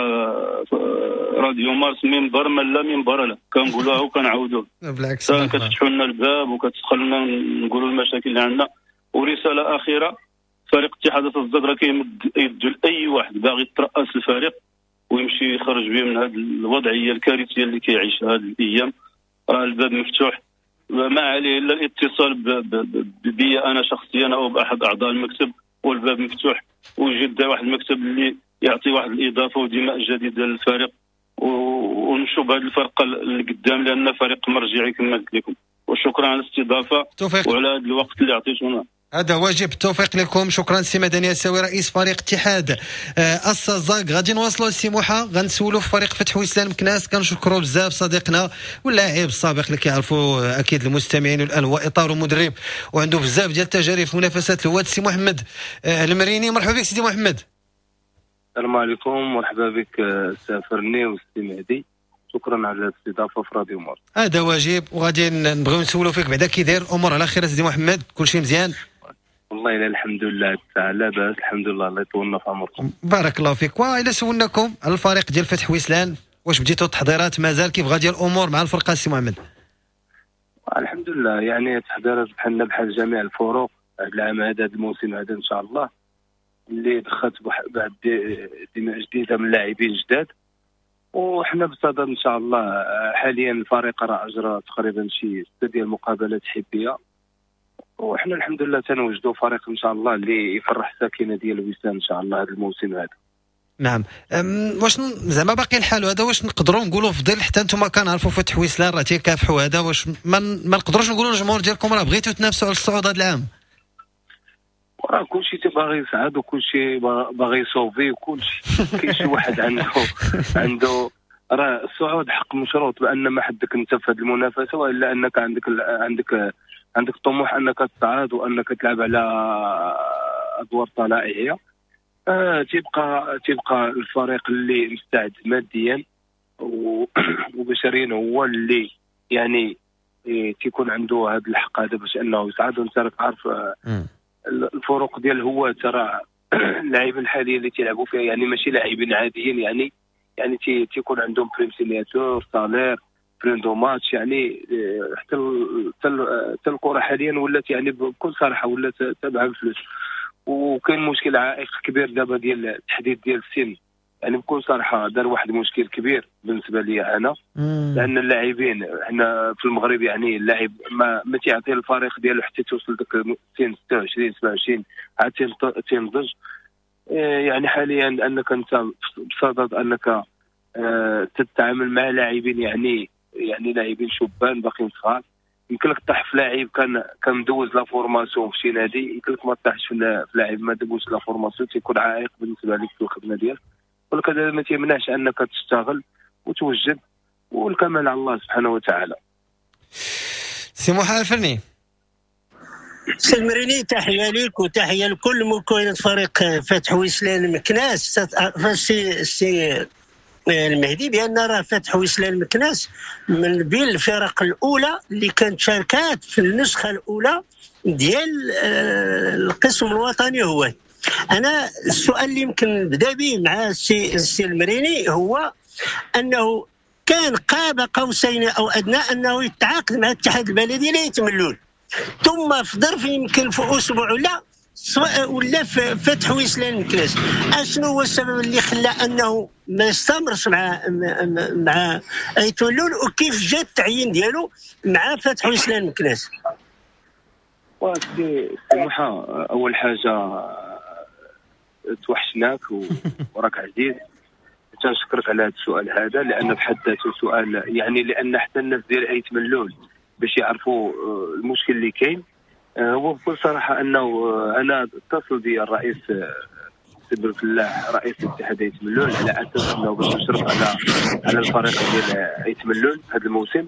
راديو مارس منبر من لا منبر له، كنقولوها وكنعاودوها. بالعكس كتفتحوا لنا الباب وكتدخلنا نقولوا المشاكل اللي عندنا. ورسالة اخيرة، فريق اتحاد الزاد راه كيمد يدو لاي واحد باغي يترأس الفريق ويمشي يخرج به من هذه الوضعية الكارثية اللي كيعيشها هذه الايام. راه الباب مفتوح، ما عليه الا الاتصال بي انا شخصيا او باحد اعضاء المكتب، والباب مفتوح. ويجد واحد المكتب اللي يعطي واحد الاضافة ودماء جديدة للفريق، ونمشوا بهذه الفرقة اللي قدام، لان فريق مرجعي كما قلت لكم. وشكرا على الاستضافة وعلى هذا الوقت اللي عطيتونا. هذا واجب، التوفيق لكم. شكرا سي مدني الساوي رئيس فريق اتحاد السزاق. غادي نواصلوا السي موحى، غنسولوا في فريق فتح وسلان مكناس. كنشكروا بزاف صديقنا واللاعب السابق اللي كيعرفوا اكيد المستمعين الان، هو اطار ومدرب وعنده بزاف ديال التجارب في منافسات الهواة، السي محمد المريني. مرحبا بك سيدي محمد. السلام عليكم، مرحبا بك سافرني والسي مهدي، شكرا على الاستضافة في راديو مارس. هذا واجب، وغادي نبغيو نسولوا فيك بعدا كي داير الامور على خير سيدي محمد، كلشي مزيان؟ والله الا الحمد لله لا باس، الحمد لله، الله يطولنا في عمركم. بارك الله فيك. والى سولناكم على الفريق ديال فتح وسلان، واش بديتوا التحضيرات مازال، كيف غادي الامور مع الفرقة سي محمد؟ الحمد لله، يعني التحضيرات بحالنا بحال جميع الفرق هذا العام هذا، هذا الموسم هذا ان شاء الله، اللي دخلت بعد دماء جديدة من لاعبين جداد، وحنا بصدد ان شاء الله. حاليا الفريق راه اجرى تقريبا شي 6 ديال المقابلات حبيه، وحنا الحمد لله تنوجدوا فريق ان شاء الله اللي يفرح الساكنة ديال وسام ان شاء الله هذا الموسم هذا. نعم، واش زعما باقي الحال هذا، واش نقدروا نقولوا في ظل حتى انتم كنعرفوا فتح وسلان راه تيكافحوا هذا، واش ما نقدروش نقولوا للجمهور ديالكم راه بغيتوا تنافسوا على الصعود هذا العام؟ راه كلشي تباغي يصعد وكلشي باغي يصوفي وكلشي كاين شي واحد عنده راه الصعود حق مشروط بان ما حدك انت في هذه المنافسة، والا انك عندك طموح انك تصعد وانك تلعب على ادوار طلائعيه. تيبقى الفريق اللي مستعد ماديا وبشريا هو اللي يعني تيكون عنده هذا الحق هذا باش انه يصعد. وانت راك عارف الفروق ديال هو ترى اللاعبين الحاليين اللي تيلعبوا فيها يعني ماشي لاعبين عاديين، يعني تيكون عندهم prime signature، salaire، prime de match، يعني حتى الكره حاليا ولات يعني بكل صراحة ولات تابعه الفلوس. وكاين مشكل عائق كبير دابا ديال التحديد ديال السن، يعني بكل صراحة دار واحد المشكل كبير بالنسبة لي انا، لان اللاعبين حنا في المغرب يعني اللاعب ما تيعطي الفريق ديالو حتى توصل داك السن 26 27 عاد تينضج. يعني حاليا انك انت بصدد انك تتعامل مع لاعبين يعني لاعبين شبان باقيين صغار، يمكن لك طيح في لاعب كان مدوز la formation في شي نادي، يمكن لك ما طيحش في لاعب ما دوزش la formation، تيكون عائق بالنسبة لك في الخدمة ديالك. ولكن هذا ما تيمنعش انك تشتغل وتوجد، والكمال على الله سبحانه وتعالى. سي محمد الفرني. سي المريني، تحية لك وتحية لكل مكونات فريق فتح وسلان مكناس. سي المهدي بان راه فتح وسلان مكناس من بين الفرق الاولى اللي كانت شاركات في النسخة الاولى ديال القسم الوطني. هو انا السؤال اللي يمكن نبدا به مع السي المريني هو انه كان قاب قوسين او ادنى انه يتعاقد مع الاتحاد البلدي لايت ملول، ثم في ظرف يمكن في اسبوع ولا فتح ويسلان مكناس. اشنو هو السبب اللي خلى انه ما يستمرش مع ايت ملول، وكيف جا التعيين ديالو مع فتح ويسلان مكناس؟ سي موحى، اول حاجة توحشناك وراك عزيز، تنشكرك على هذا السؤال هذا، لان بحد ذاته سؤال يعني، لان حتى الناس ديال ايت ملول باش يعرفوا المشكل اللي كاين. هو بكل صراحة انه انا اتصل بي الرئيس سي بالفلاح رئيس الاتحاد ايت ملول على اساس انه باش نشرف على الفريق ديال ايت ملول هذا الموسم،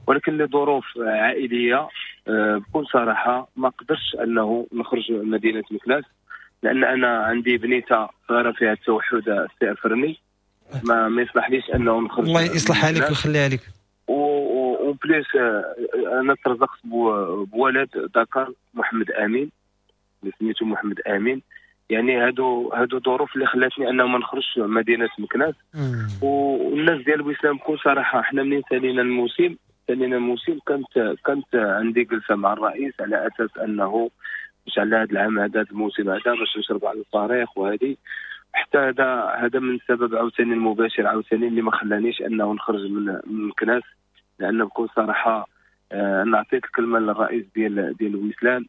ولكن لظروف عائلية بكل صراحة ما قدرش انه نخرج من مدينة مكناس، لان انا عندي بنيته صغيرة فيها التوحد السي الفرني، ما يصلحليش انه نخرج. الله يصلحها لك ويخليها لك. و plus انا ترزقت بولد ذكر محمد امين، اللي سميتو محمد امين. يعني هادو ظروف اللي خلاتني انه ما نخرجش مدينة مكناس. والناس ديال بويسلام بكل صراحة حنا منين سالينا الموسم كانت عندي جلسه مع الرئيس على اساس انه باش على هذا العام هذا الموسم هذا باش نشرب على الفريق وهذه، حتى هذا من السبب عاوتاني المباشر عاوتاني اللي ما خلانيش انه نخرج من مكناس، لان بكل صراحة انا عطيت الكلمة للرئيس ديال ويسلان،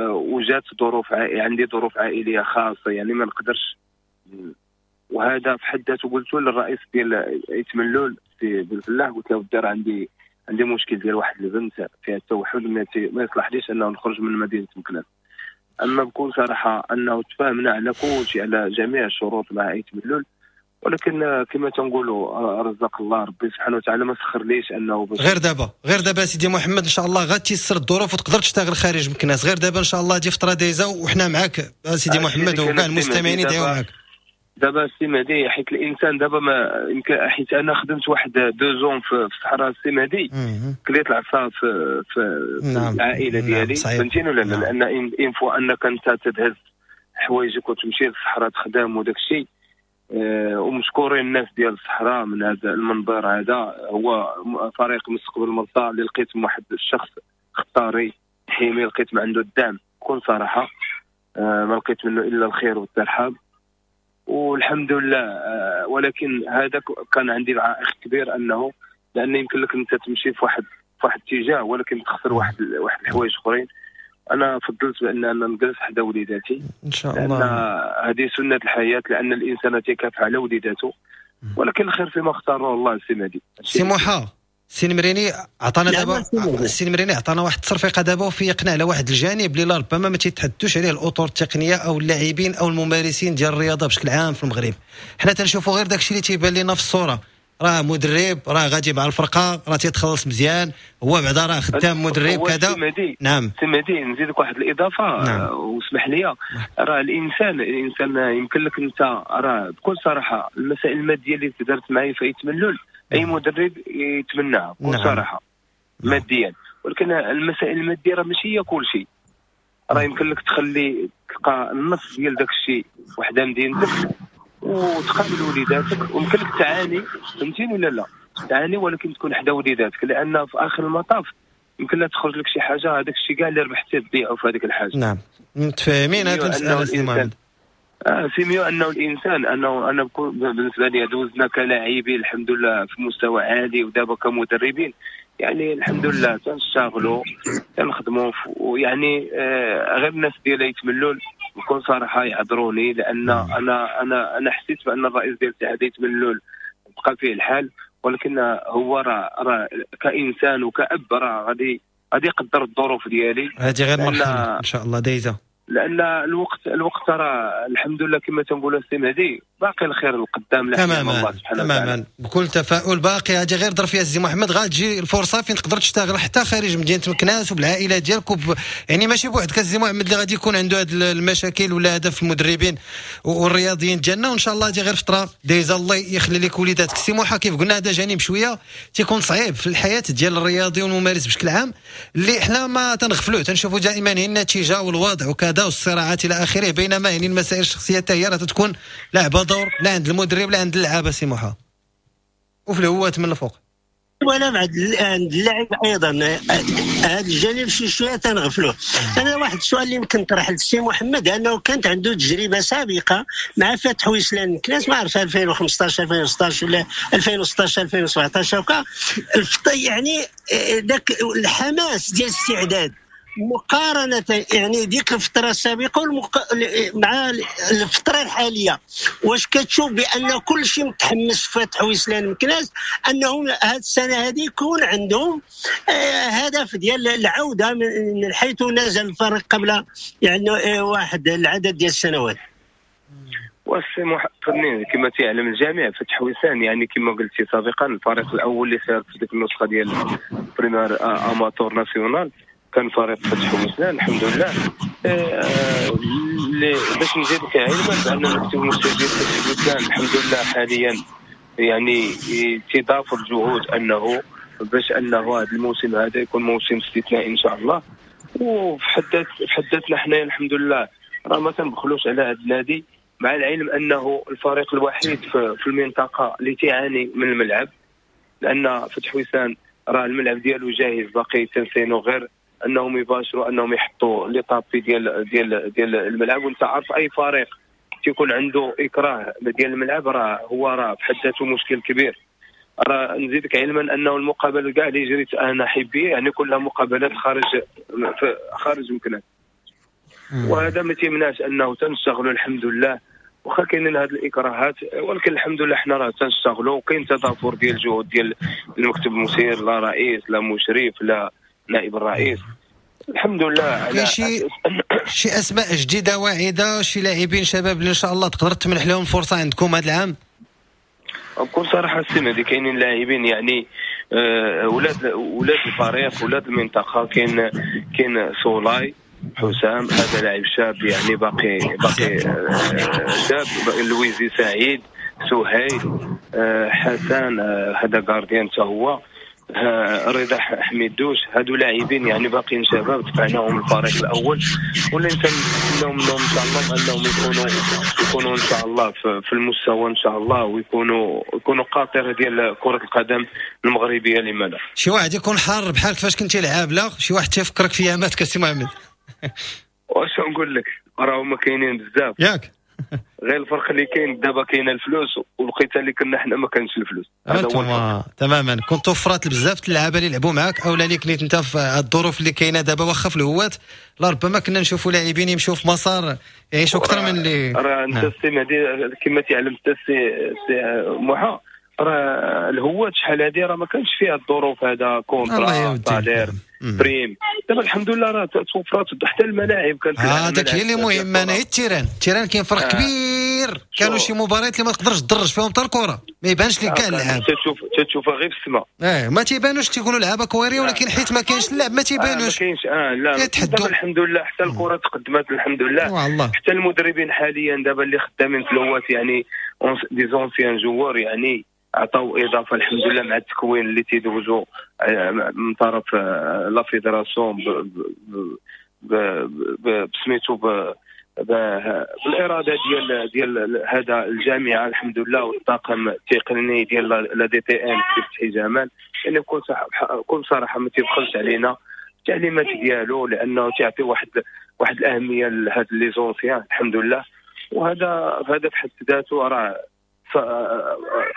وجات ظروف عندي ظروف عائلية خاصة يعني ما نقدرش، وهذا في حد ذاته قلت للرئيس ديال ايت ملول سي بالفلاح، قلت له الدار عندي مشكل ديال واحد البنت فيها التوحد، ما يصلحليش انه نخرج من مدينة مكناس. اما بكل صراحة انه تفاهمنا على كل شيء، على جميع الشروط مع ايت ملول، ولكن كما تنقولوا رزق الله ربي سبحانه وتعالى ما سخرليش انه غير دابا سيدي محمد ان شاء الله غتيسر الظروف وتقدر تشتغل خارج مكناس. غير دابا ان شاء الله دي فترة دايزه وحنا معاك سيدي محمد وكاع المستمعين يدعيو معاك. دابا السي مهدي، حيت الانسان دابا ما يمكن، حيت انا خدمت واحد 2 ans في الصحراء السي مهدي، كليت العصا في نعم. العائلة ديالي، فهمتيني ولا لا؟ لان une fois انك انت تدهز حوايجك وتمشي للصحراء تخدم وداك الشيء، ومشكورين الناس ديال الصحراء من هذا المنبر هذا، هو فريق مستقبل المرسى اللي لقيت واحد الشخص خطاري حيمي، لقيت ما عنده الدعم بكل صراحة، ما لقيت منه الا الخير والترحاب والحمد لله. ولكن هذا كان عندي عائق كبير، انه لان يمكن لك انت تمشي في واحد اتجاه ولكن تخسر واحد الحوايج اخرين. انا فضلت بان انا نجلس حدا وليداتي ان شاء الله، لان هذه سنة الحياة، لان الانسان تيكافح على وليداته، ولكن الخير فيما اختاره الله. السي مهدي، سي موحى، السي المريني عطانا دابا، السي المريني عطانا واحد التصرفيقه دابا وفيقنا على واحد الجانب اللي ربما ما تيتحدثوش عليه الاطر التقنية او اللاعبين او الممارسين ديال الرياضة بشكل عام في المغرب. حنا تنشوفوا غير داكشي اللي تيبان لنا في الصورة، راه مدرب راه غادي مع الفرقة راه تيتخلص مزيان، هو بعدا راه خدام مدرب كذا. نعم سي مهدي، نزيدك واحد الاضافة. نعم. واسمح لي، راه الانسان يمكن لك انت راه بكل صراحة المسائل المادية اللي تدارت معايا في ايت ملول اي مدرب يتمناها بكل صراحة. نعم. ماديا، ولكن المسائل المادية راه ماشي هي كل شيء. راه يمكن لك تخلي تلقى النص ديال داك الشيء وحده مدينتك وتقابل وليداتك، ويمكن لك تعاني، فهمتيني ولا لا؟ تعاني ولكن تكون حدا وليداتك، لان في اخر المطاف يمكن لا تخرج لك شي حاجة، هذاك الشيء كاع اللي ربحتيه تضيعه في هذيك الحاجة. نعم متفاهمين هذه المسالة سي محمد. c'est mieux انه الانسان انه انا بالنسبة لي دوزنا كلاعبين الحمد لله في مستوى عالي، ودابا كمدربين يعني الحمد لله تنشتغلوا تنخدموا، ويعني غير الناس ديال ايت ملول بكل صراحة يعذروني، لان انا انا انا حسيت بان الرئيس ديال اتحاد ايت ملول بقى فيه الحال، ولكن هو راه كانسان وكأب راه غادي يقدر الظروف ديالي. هذه غير مرحلة ان شاء الله دايزه. لان الوقت راه الحمد لله كما تنقولوا السي مهدي باقي الخير القدام. تماما تماما، بكل تفاؤل باقي. هذه غير ظرفيه السي محمد، غتجي الفرصة فين تقدر تشتغل حتى خارج مدينة مكناس وبالعائله ديالك يعني ماشي بوحدك السي محمد اللي غادي يكون عنده هذه المشاكل ولا هدف المدربين والرياضيين ديالنا، وان شاء الله هذه غير فترة دايزه، الله يخلي لك وليداتك. السي موحى كيف قلنا هذا جانب شوية تيكون صعيب في الحياة ديال الرياضي والممارس بشكل عام، اللي حنا ما تنغفلوه، تنشوفوا دائما هي النتيجة والوضع وكذا والصراعات الى اخره، بينما يعني المسائل الشخصية حتى هي راه تكون لعبه دور لا عند المدرب لا عند اللعابه سي موحى، وفي الهوات من الفوق ولا عند اللاعب ايضا. هذا الجانب شي شوية تنغفلوه. انا واحد السؤال اللي يمكن طرح للسي محمد، انه كانت عنده تجربه سابقه مع فتح ويسلان مكناس، ما عرف 2015 2016 ولا 2016 2017 وكا، يعني ذاك الحماس ديال الاستعداد مقارنة يعني ديك الفترة السابقة مع الفترة الحالية، واش كتشوف بأن كل شيء متحمس في فتح ويسلان مكناس أنهم هذه السنة هذه يكون عندهم هدف ديال العودة من حيث نزل الفريق قبل يعني واحد العدد ديال السنوات؟ والسي محمد كما تعلم الجميع فتح ويسان يعني كما قلتي سابقا الفريق الأول اللي شارك في ديك النسخة ديال première amateur nationale كان فريق فتح ويسان الحمد لله. باش نزيدك علما بان المكتب المسير فتح ويسان الحمد لله حاليا يعني تضافر الجهود انه باش انه هذا الموسم هذا يكون موسم استثنائي ان شاء الله. وفي حد ذاتنا حنايا الحمد لله راه ما تنبخلوش على هذا النادي، مع العلم انه الفريق الوحيد في المنطقة اللي تعاني من الملعب، لان فتح ويسان راه الملعب ديالو جاهز، باقي تنسينو غير انهم يباشروا انهم يحطوا les tapis ديال ديال ديال الملعب. وانت عارف اي فريق تيكون عنده اكراه ديال الملعب راه هو راه في حد ذاته مشكل كبير. راه نزيدك علما انه المقابلة كاع اللي جريت انا حبيه يعني كلها مقابلات خارج مكناس، وهذا ما تيمنعش انه تنشتغلوا الحمد لله، واخا كاينين هذه الاكراهات ولكن الحمد لله حنا راه تنشتغلوا، وكاين تضافر ديال الجهود ديال المكتب المسير، لا رئيس لا مشرف لا نائب الرئيس الحمد لله. كاين شي اسماء جديدة واعده، شي لاعبين شباب اللي ان شاء الله تقدر تمنح لهم فرصة عندكم هذا العام؟ بكل صراحة السنة دي كاينين لاعبين يعني ولاد الفريق ولاد المنطقة، كاين صولاي حسام هذا لاعب شاب يعني باقي شاب، لويزي سعيد، سهيل، حسن هذا gardien حتى هو، رضا حميدوش، هادو لاعبين يعني باقيين شباب دفعناهم الفريق الاول، واللي نتمناو منهم ان شاء الله انهم يكونوا ان شاء الله في المستوى ان شاء الله، ويكونوا قاطره ديال كره القدم المغربية. لما لا شي واحد يكون حار بحال كيفاش كنتي لعاب، لا شي واحد تيفكرك في ياماتك السي محمد؟ واش نقول لك راهما كاينين بزاف ياك، غير الفرق اللي كاين دابا كاين الفلوس، والوقيته اللي كنا حنا ما كانش الفلوس. هذا هو تماما. كنت وفرات بزاف اللعابه اللي لعبوا معاك او لا اللي كنت انت في الظروف اللي كاينه دابا واخا في الهوات، لربما كنا نشوفوا لاعبين يمشوا في مسار يعيشوا اكثر من اللي راه انت السي مهدي كما تعلم انت السي موحى، راه الهوات شحال هذه راه ما كانش فيها الظروف هذا contrat salaire prime. دابا الحمد لله راه توفرات حتى الملاعب كانت. هذاك هي اللي مهم. انا هي ال terrain كاين فرق كبير. كانوا شي مباريات اللي ما تقدرش تدرج فيهم حتى الكره، ما يبانش لك كاع اللعاب، تشوفها غير في السماء. ما تيبانوش، تيقولوا لعابه كويريه، ولكن حيت ما كاينش اللعب ما تيبانوش. ما كاينش لا. دابا الحمد لله حتى الكره تقدمت الحمد لله. حتى المدربين حاليا دابا اللي خدامين في الهوات يعني des anciens joueurs يعني عطاو اضافه الحمد لله مع التكوين اللي تيدوزو من طرف la fédération بسميتو بالارادة ديال هذا الجامعة الحمد لله، والطاقم التقني ديال la DTN فتحي جمال، يعني بكل صراحة ما تيبخلش علينا التعليمات ديالو، لانه تيعطي واحد الاهمية لهاد les anciens الحمد لله. وهذا في حد ذاته راه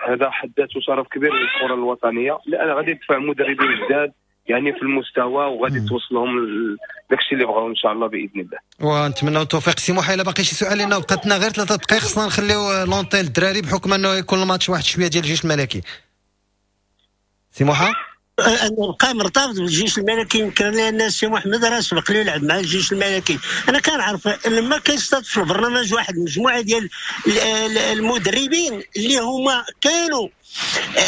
هذا حد ذاته شرف كبير للكرة الوطنية، لان غادي تدفع مدربين جداد يعني في المستوى وغادي توصلهم داكشي اللي بغاو ان شاء الله باذن الله. ونتمنوا التوفيق. سي موحى الا باقي شي سؤال، لانه بقات لنا غير 3 دقائق، خصنا نخليو l'antenne للدراري بحكم انه يكون الماتش واحد شوية ديال الجيش الملكي. سي موحى نبقى مرتبط بالجيش الملكي، يمكن لان السي محمد راه سبق لي لعب مع الجيش الملكي. انا كنعرف لما كيستضيف في البرنامج واحد المجموعة ديال المدربين اللي هما كانوا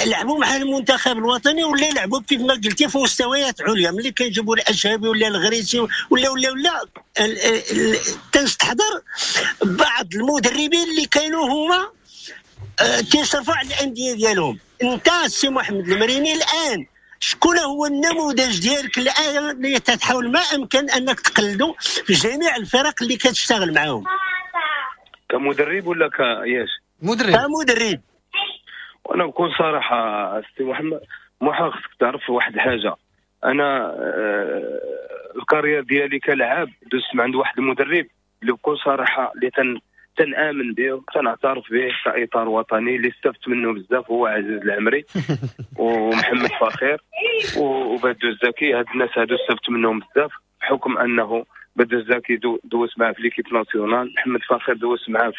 لعبوا مع المنتخب الوطني ولا لعبوا كيف ما قلتي في مستويات عليا، ملي كيجيبوا الاشهبي ولا الغريسي ولا ولا ولا تنستحضر بعض المدربين اللي كانوا هما كيصرفوا على الاندية ديالهم. انت السي محمد المريني الان شكون هو النموذج ديالك الان اللي تتحاول ما امكن انك تقلده في جميع الفرق اللي كتشتغل معاهم؟ كمدرب ولا كياش؟ مدرب. كمدرب. وانا بكل صراحة السي محمد موحى خصك تعرف واحد الحاجة، انا ال carrière ديالي كلاعب دوزت من عند واحد المدرب اللي بكل صراحة اللي تنآمن به وتنعترف به كإطار وطني، اللي استفدت منه بزاف هو عزيز العمري ومحمد فاخر وبدو الزكي. هاد الناس هادو استفدت منهم بزاف بحكم انه بدو الزكي دوز معاه في l'équipe nationale، محمد فاخر دوز معاه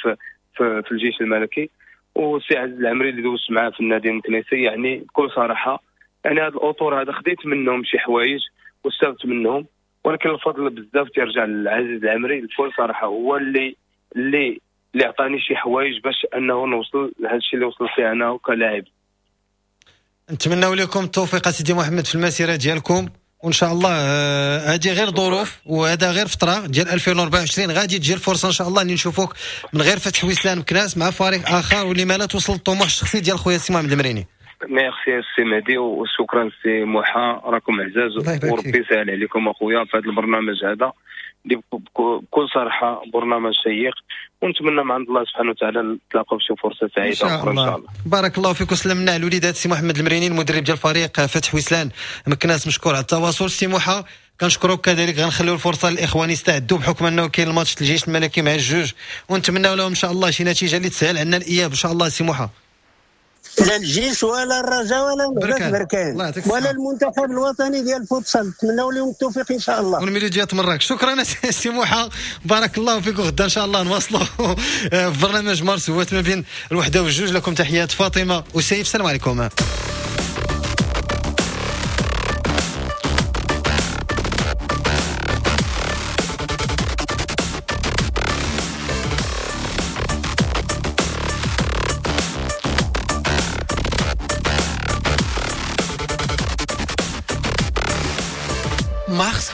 في الجيش الملكي، وسي عزيز العمري اللي دوز معاه في النادي المكنيسي. يعني بكل صراحة يعني هاد الاطور هذا خديت منهم شي حوايج واستفدت منهم، ولكن الفضل بزاف تيرجع لعزيز العمري. بكل صراحة هو اللي اللي اللي عطاني شي حوايج باش انه نوصل لهذا الشيء اللي وصلت فيه انا كلاعب. نتمنوا لكم التوفيق سيدي محمد في المسيرة ديالكم، وان شاء الله هذه غير ظروف وهذا غير فترة ديال 2024 غادي تجي الفرصة ان شاء الله اللي نشوفوك من غير فتح ويسلان مكناس مع فريق اخر، واللي ما لا توصل الطموح الشخصي ديال خويا سي محمد المريني. ميرسي سي مهدي وشكرا سي موحى، راكم عزاز وربي يسهل عليكم اخويا في هذا البرنامج هذا اللي بكل صراحة برنامج شيق، ونتمنى من عند الله سبحانه وتعالى نتلاقاو في شي فرصة سعيدة اخرى ان شاء الله. بارك الله فيك وسلمنا على الوليدات سي محمد المريني المدرب ديال فريق فتح ويسلان مكناس، مشكور على التواصل. سي موحى كنشكروك كذلك، غنخليو الفرصة للاخوان يستعدوا بحكم انه كاين الماتش الجيش الملكي مع الجوج، ونتمناو لهم ان شاء الله شي نتيجة اللي تسهل عندنا الاياب ان شاء الله. سي موحى لا الجيش ولا الرجاء ولا بركان ولا المنتخب الوطني ديال الفوتسال، نتمناو لهم التوفيق ان شاء الله. والميلوديات مراكش. شكرا سي موحى، بارك الله فيك، وغدا ان شاء الله نواصلوا في برنامج مارس هو ما بين الوحدة والجوج. لكم تحيات فاطمة وسيف، السلام عليكم. Mars.